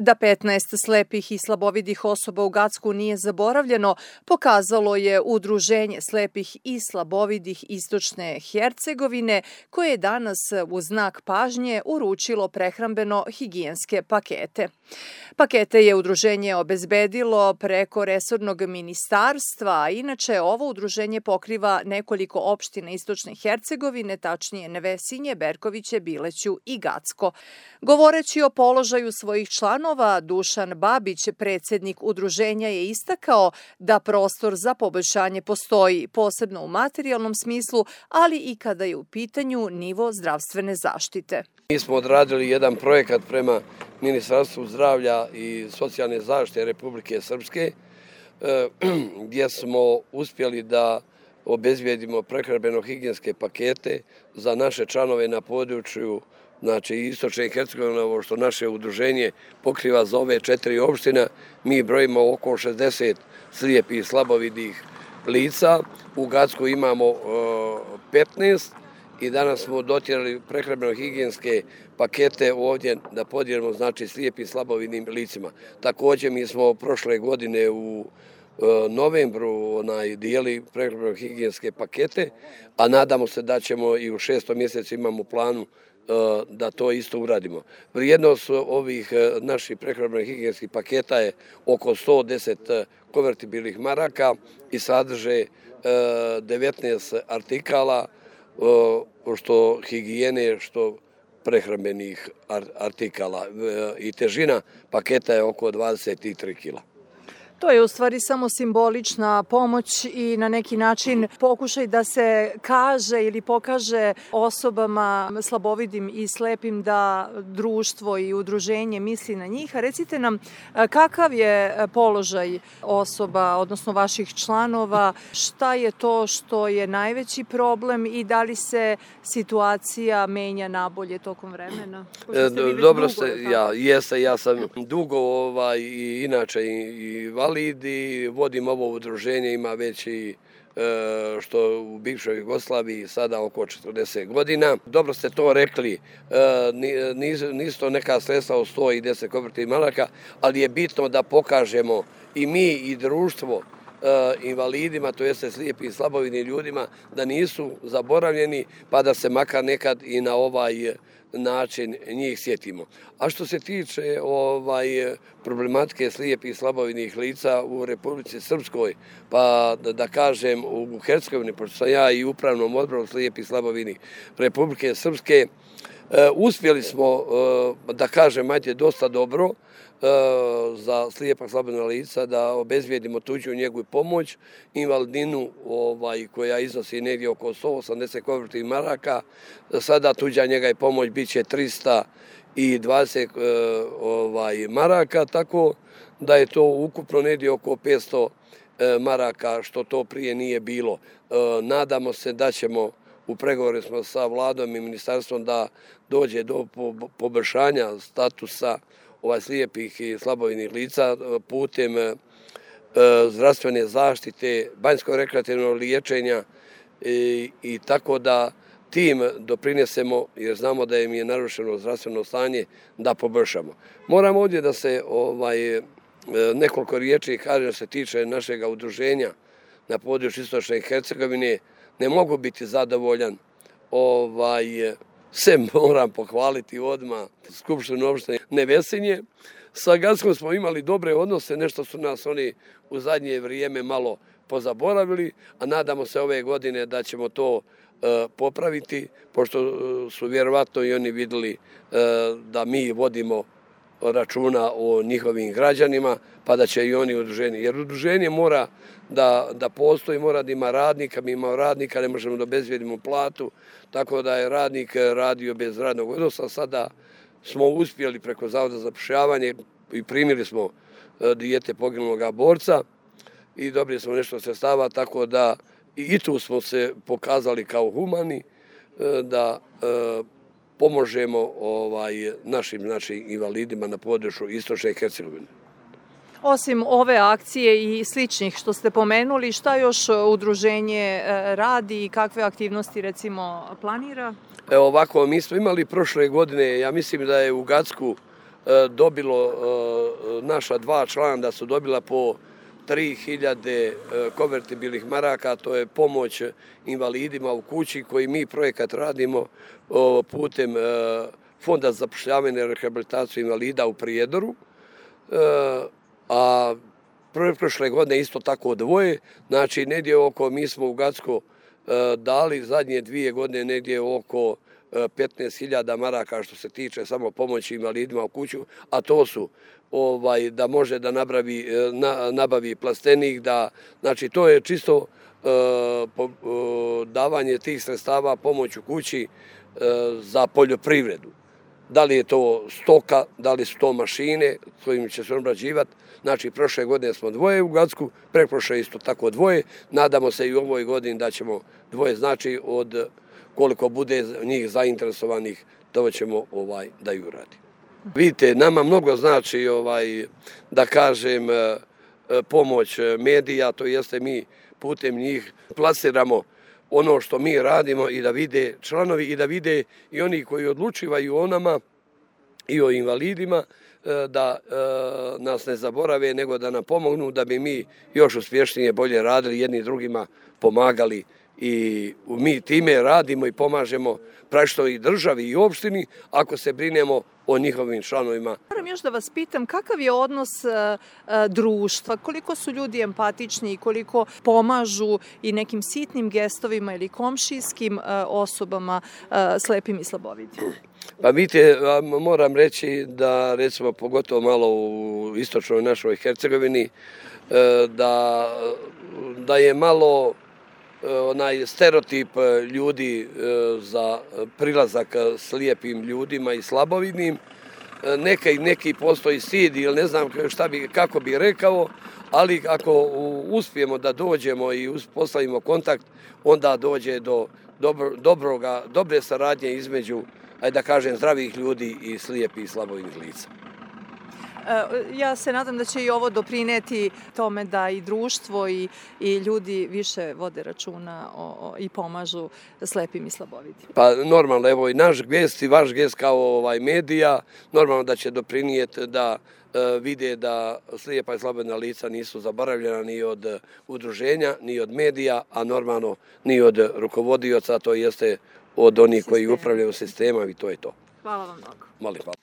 Da 15 slepih i slabovidih osoba u Gacku nije zaboravljeno, pokazalo je Udruženje slepih i slabovidih Istočne Hercegovine, koje je danas u znak pažnje uručilo prehrambeno-higijenske pakete. Pakete je udruženje obezbedilo preko resornog ministarstva, a inače ovo udruženje pokriva nekoliko opština Istočne Hercegovine, tačnije Nevesinje, Berkoviće, Bileću i Gacko. Govoreći o položaju svojih članova, Dušan Babić, predsjednik udruženja, je istakao da prostor za poboljšanje postoji, posebno u materijalnom smislu, ali i kada je u pitanju nivo zdravstvene zaštite. Mi smo odradili jedan projekat prema Ministarstvu zdravlja i socijalne zaštite Republike Srpske, gdje smo uspjeli da obezbijedimo prehrambeno-higijenske pakete za naše članove na području Istočne Hercegovine, ovo što naše udruženje pokriva za ove 4 opštine. Mi brojimo oko 60 slijepih i slabovidih lica. U Gacku imamo 15 i danas smo dotjerali prehrambeno-higijenske pakete ovdje da podijelimo slijepim i slabovidnim licima. Također mi smo prošle godine u novembru dijeli prehrambeno-higijenske pakete, a nadamo se da ćemo i u 6. mjesecu imamo u planu da to isto uradimo. Vrijednost ovih naših prehrambeno-higijenskih paketa je oko 110 konvertibilnih maraka i sadrže 19 artikala, što higijene, što prehrambenih artikala. I težina paketa je oko 23 kila. To je u stvari samo simbolična pomoć i na neki način pokušaj da se kaže ili pokaže osobama slabovidim i slepim da društvo i udruženje misli na njih. A recite nam kakav je položaj osoba, odnosno vaših članova, šta je to što je najveći problem i da li se situacija menja nabolje tokom vremena? Dobro ste, ja sam dugo i inače invalid i vodim ovo udruženje, ima već i što u bivšoj Jugoslaviji sada oko 40 godina. Dobro ste to rekli, nisu to neka sredstva od 100 i 10 konvertibilnih maraka, ali je bitno da pokažemo i mi i društvo invalidima, to jeste slijepim i slabovidnim ljudima, da nisu zaboravljeni, pa da se makar nekad i na ovaj način njih sjetimo. A što se tiče problematike slijepih i slabovidnih lica u Republici Srpskoj, pa da kažem u Hercegovini, pošto sam ja i upravnom odboru slijepih i slabovidnih Republike Srpske, uspjeli smo, da kažem, dosta dobro za slijepa slabovidna lica da obezbijedimo tuđu njegu i pomoć, invalidninu koja iznosi negdje oko 180 konvertibilnih maraka. Sada tuđa njega i pomoć bit će 320 maraka, tako da je to ukupno negdje oko 500 maraka, što to prije nije bilo. Nadamo se da ćemo, u pregovoru smo sa vladom i ministarstvom, da dođe do poboljšanja statusa slijepih i slabovidnih lica putem zdravstvene zaštite, banjsko-rekreativnog liječenja i tako da tim doprinesemo, jer znamo da im je narušeno zdravstveno stanje, da poboljšamo. Moram ovdje da se nekoliko riječi kaže da se tiče našeg udruženja na području Istočne Hercegovine. Ne mogu biti zadovoljan, sem moram pohvaliti odmah Skupštinu opštine Nevesinje. Sa Gackom smo imali dobre odnose, nešto su nas oni u zadnje vrijeme malo pozaboravili, a nadamo se ove godine da ćemo to popraviti, pošto su vjerovatno i oni vidjeli da mi vodimo računa o njihovim građanima, pa da će i oni udruženje. Jer udruženje mora da postoji, mora da ima radnika, mi imamo radnika, ne možemo da obezbijedimo platu, tako da je radnik radio bez radnog odnosa. Sada smo uspjeli preko Zavoda za zapošljavanje i primili smo dijete poginuloga borca i dobili smo nešto sredstava, tako da i tu smo se pokazali kao humani, da pomožemo našim invalidima na području Istočne Hercegovine. Osim ove akcije i sličnih što ste pomenuli, šta još udruženje radi i kakve aktivnosti recimo planira? Ovako, mi smo imali prošle godine, ja mislim da je u Gacku dobilo naša 2 člana da su dobila po 3000 konvertibilnih maraka, to je pomoć invalidima u kući koji mi projekat radimo putem Fonda za zapošljavanje i rehabilitaciju invalida u Prijedoru, a prošle godine isto tako 2, znači negdje oko, mi smo u Gacko dali zadnje 2 godine negdje oko 15.000 maraka što se tiče samo pomoći invalidima u kuću, a to su da može da nabavi plastenik, znači to je čisto davanje tih sredstava pomoć u kući za poljoprivredu. Da li je to stoka, da li su to mašine kojim će se obrađivati. Znači, prošle godine smo 2 u Gacku, preprošle isto tako 2. Nadamo se i u ovoj godini da ćemo 2, znači od koliko bude njih zainteresovanih, to ćemo da ju radi. Vidite, nama mnogo znači, da kažem, pomoć medija, to jeste mi putem njih plasiramo ono što mi radimo i da vide članovi i da vide i oni koji odlučivaju o nama i o invalidima, da nas ne zaborave, nego da nam pomognu da bi mi još uspješnije bolje radili, jedni drugima pomagali i mi time radimo i pomažemo praktično i državi i opštini ako se brinemo o njihovim članovima. Moram još da vas pitam kakav je odnos društva, koliko su ljudi empatični i koliko pomažu i nekim sitnim gestovima ili komšijskim osobama slepim i slabovidim? Pa vidite, moram reći da recimo pogotovo malo u istočnoj našoj Hercegovini da je malo onaj stereotip ljudi za prilazak slijepim ljudima i slabovidnim. Neki postoji stid ili ne znam kako bi rekao, ali ako uspijemo da dođemo i postavimo kontakt, onda dođe do dobre saradnje između, ajde da kažem, zdravih ljudi i slijepih i slabovidnih lica. Ja se nadam da će i ovo doprineti tome da i društvo i ljudi više vode računa i pomažu slepim i slabovidim. Pa normalno, evo i naš gest i vaš gest kao medija, normalno da će doprinijeti da vide da slijepa i slabovidna lica nisu zaboravljena ni od udruženja, ni od medija, a normalno ni od rukovodioca, to jeste od onih koji upravljaju sistemom i to je to. Hvala vam mnogo. Molim, hvala.